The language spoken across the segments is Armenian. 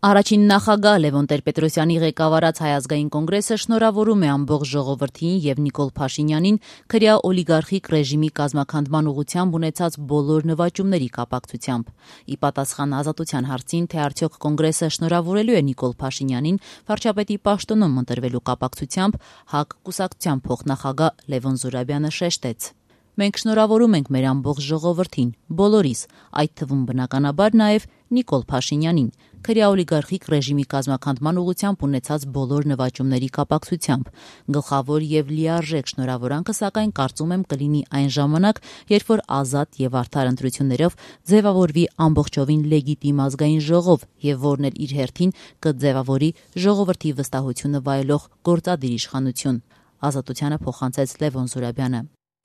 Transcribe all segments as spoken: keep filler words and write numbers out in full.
Առաջին նախագահ Լևոն Տեր-Պետրոսյանի ղեկավարած Հայ ազգային կոնգրեսը շնորհավորում է ամբողջ ժողովրդին եւ Նիկոլ Փաշինյանին քրյա օլիգարխիկ ռեժիմի կազմաքանդման ուղղությամբ ունեցած բոլոր նվաճումների կապակցությամբ։ Ի պատասխան Ազատության հարցին, թե արդյոք կոնգրեսը շնորհավորելու է Նիկոլ Փաշինյանին վարչապետի պաշտոնում ընտրվելու կապակցությամբ, ՀԱԿ կուսակցության փոխնախագահ Լևոն Զուրաբյանը շեշտեց. Մենք շնորհավորում ենք մեր ամբողջ ժողովրդին, բոլորիս, այդ թվում բնականաբար նաև Նիկոլ Փաշինյանին, քրյա օլիգարխիկ ռեժիմի կազմաքանդման ուղղությամբ ունեցած բոլոր նվաճումների կապակցությամբ։ Գլխավոր եւ լիարժեք շնորհավորանքը, սակայն կարծում եմ կլինի այն ժամանակ, երբ որ ազատ եւ արդար ընտրություններով ձևավորվի ամբողջովին լեգիտիմ ազգային ժողով եւ որն էլ իր հերթին կձևավորի ժողովրդի վստահությունը վայելող գործադիր իշխանություն։ Ազատությանը փոխանցեց Լևոն Զուրաբյանը։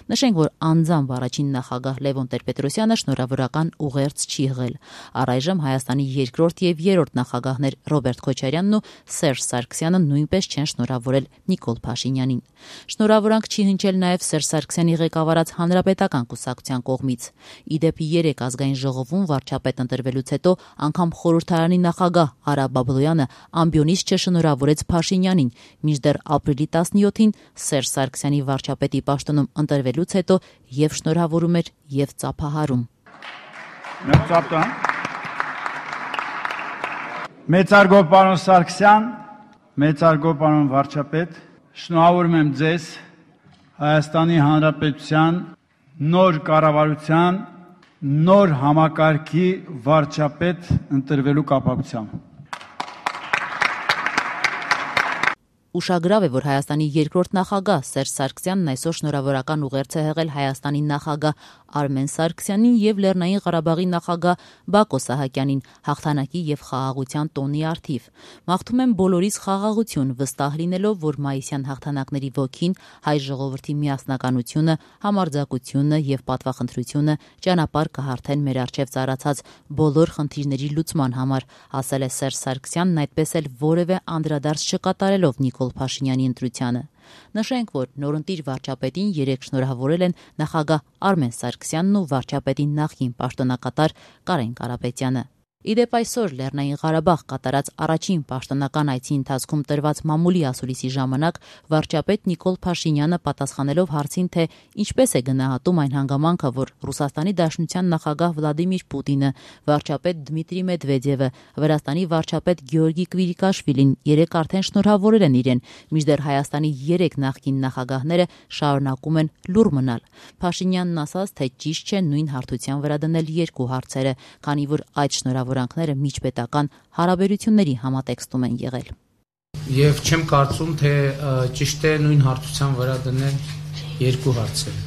Նշենք, որ անձամբ առաջին նախագահ Լևոն Տեր-Պետրոսյանը շնորհավորական ուղերձ չի եղել։ Առայժմ Հայաստանի երկրորդ եւ երրորդ նախագահներ Ռոբերտ Քոչարյանն ու Սերժ Սարգսյանը նույնպես չեն շնորհավորել Նիկոլ Փաշինյանին։ Շնորհավորանք չի հնչել նաև Սերժ Սարգսյանի ղեկավարած Հանրապետական կուսակցության կողմից։ Ի դեպ, երեք ազգային ժողովում վարչապետ ընտրվելուց հետո անգամ խորհրդարանի նախագահ Արա Բաբլոյանը ամբիոնից չշնորհավորեց Փաշինյանին, մինչդեռ ապրիլի տասնյոթին Սերժ Սարգսյանի վարչապետի պաշտոնում ընտրվելուց հետո եւ շնորհավորում էր եւ ծափահարում։ Մեծարգո պարոն Սարգսյան, մեծարգո պարոն վարչապետ, շնորհավորում եմ ձեզ Հայաստանի Հանրապետության նոր կառավարության նոր համակարգի վարչապետ ընտրվելու կապակցությամբ։ Ուշագրավ է, որ Հայաստանի երկրորդ նախագահ Սերժ Սարգսյանն այսօր շնորհավորական ուղերձ է հղել Հայաստանի նախագահ Արմեն Սարգսյանին եւ Լեռնային Ղարաբաղի նախագահ Բակո Սահակյանին հաղթանակի եւ խաղաղության տոնի առթիվ։ Մաղթում եմ բոլորիս խաղաղություն, վստահ լինելով, որ մայիսյան հաղթանակների ոգին, հայ ժողովրդի միասնականությունը, համարձակությունը եւ պատվախնդրությունը ճանապարհ կհարթեն մեր առջեւ ծառացած բոլոր խնդիրների լուծման համար, ասել է Սերժ Սարգսյանն, այդպես էլ որևէ անդրադարձ չկատարելով Նիկոլ Փաշինյանի ընտրությանը։ Նշենք, որ նորընտիր վարչապետին երեք շնորհավորել են նախագահ Արմեն Սարգսյանն ու վարչապետի նախկին պաշտոնակատար Կարեն Կարապետյանը։ Ի դեպ, այսօր Լեռնային Ղարաբաղ կատարած առաջին պաշտոնական այցի ընթացքում տրված մամուլի ասուլիսի ժամանակ վարչապետ Նիկոլ Փաշինյանը պատասխանելով հարցին, թե ինչպես է գնահատում այն հանգամանքը, որ Ռուսաստանի Դաշնության նախագահ Վլադիմիր Պուտինը, վարչապետ Դմիտրի Մեդվեդևը, Վրաստանի վարչապետ Գեորգի Կվիրիկաշվիլին երեք արդեն շնորհավորել են իրեն, մինչդեռ Հայաստանի երեք նախկին նախագահները շարունակում են լուռ մնալ։ Փաշինյանն ասաց, թե ճիշտ չէ նույն հարթության վրա դնել երկու հարցերը, քանի որ այդ շնորհավորանքները միջպետական հարաբերությունների համատեքստում են եղել։ Եվ չեմ կարծում, թե ճիշտ է նույն հարթության վրա դնել երկու հարցերը։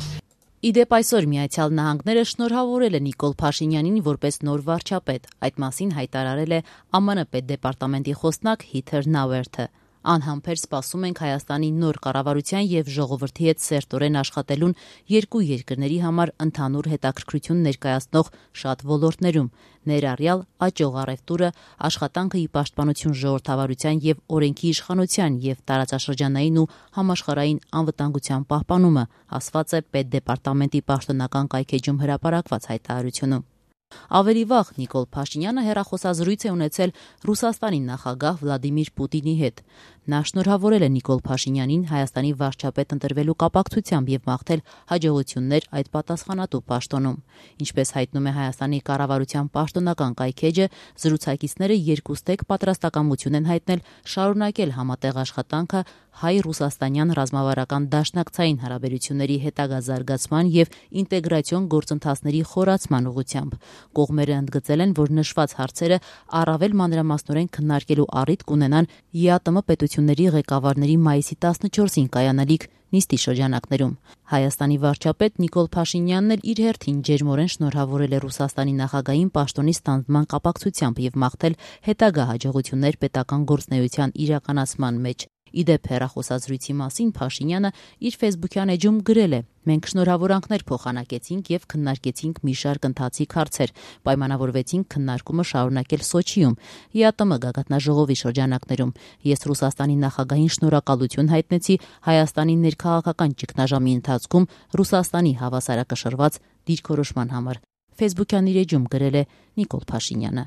Ի դեպ, այսօր Միացյալ Նահանգները շնորհավորել է Նիկոլ Փաշինյանին որպես նոր վարչապետ։ Այդ մասին հայտարարել է ԱՄՆ պետդեպարտամենտի խոսնակ Հիթեր Նաուերթը։ Անհամբեր սպասում ենք Հայաստանի նոր կառավարության եւ ժողովրդի հետ սերտորեն աշխատելուն երկու երկրների համար ընդհանուր հետաքրքրություն ներկայացնող շատ ոլորտներում, ներառյալ աճող առևտուրը, աշխատանքը ի պաշտպանություն ժողովրդավարության եւ օրենքի իշխանության եւ տարածաշրջանային ու համաշխարհային անվտանգության պահպանումը, ասված է պետդեպարտամենտի պաշտոնական կայքեջում հրապարակված հայտարարությունում։ Ավելի վաղ Նիկոլ Փաշինյանը հեռախոսազրույց է ունեցել Ռուսաստանի նախագահ Վլադիմիր Պուտինի հետ։ Նա շնորհավորել է Նիկոլ Փաշինյանին Հայաստանի վարչապետ ընտրվելու կապակցությամբ եւ մաղթել հաջողություններ այդ պատասխանատու պաշտոնում։ Ինչպես հայտնում է Հայաստանի կառավարության պաշտոնական կայքեջը, զրուցակիցները երկուստեք պատրաստակամություն են հայտնել շարունակել համատեղ աշխատանքը հայ-ռուսաստանյան ռազմավարական դաշնակցային հարաբերությունների հետագա զարգացման եւ ինտեգրացիոն գործընթացների խորացման ուղղությամբ։ Կողմերը ընդգծել են, որ նշված հարցերը առավել մանրամասնորեն քննարկելու առիթ կունենան ԵԱՏՄ պետությունների ղեկավարների մայիսի տասնչորսին կայանալիք նիստի շրջանակներում։ Հայաստանի վարչապետ Նիկոլ Փաշինյանն էլ իր հերթին ջերմորեն շնորհավորել է Ռուսաստանի նախագահին պաշտոնի ստանձնման կապակցությամբ եւ մաղթել հետագա հաջողություններ պետական գործունեության իրականացման մեջ։ Ի դեպ, հեռախոսազրույցի մասին Փաշինյանը իր ֆեյսբուքյան էջում գրել է. «Մենք շնորհավորանքներ փոխանակեցինք եւ քննարկեցինք մի շարք ընթացիկ հարցեր, պայմանավորվեցինք քննարկումը շարունակել Սոչիում, ԵԱՏՄ գագաթնաժողովի շրջանակներում։ Ես Ռուսաստանի նախագահին շնորհակալություն հայտնեցի Հայաստանի ներքաղաքական ճգնաժամի ընթացքում Ռուսաստանի հավասարակշռված դիրքորոշման համար», ֆեյսբուքյան իր էջում գրել է Նիկոլ Փաշինյանը։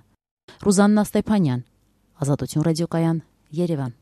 Ռուզաննա Ստեփանյան, Ազատություն ռադիոկայան, Երևան։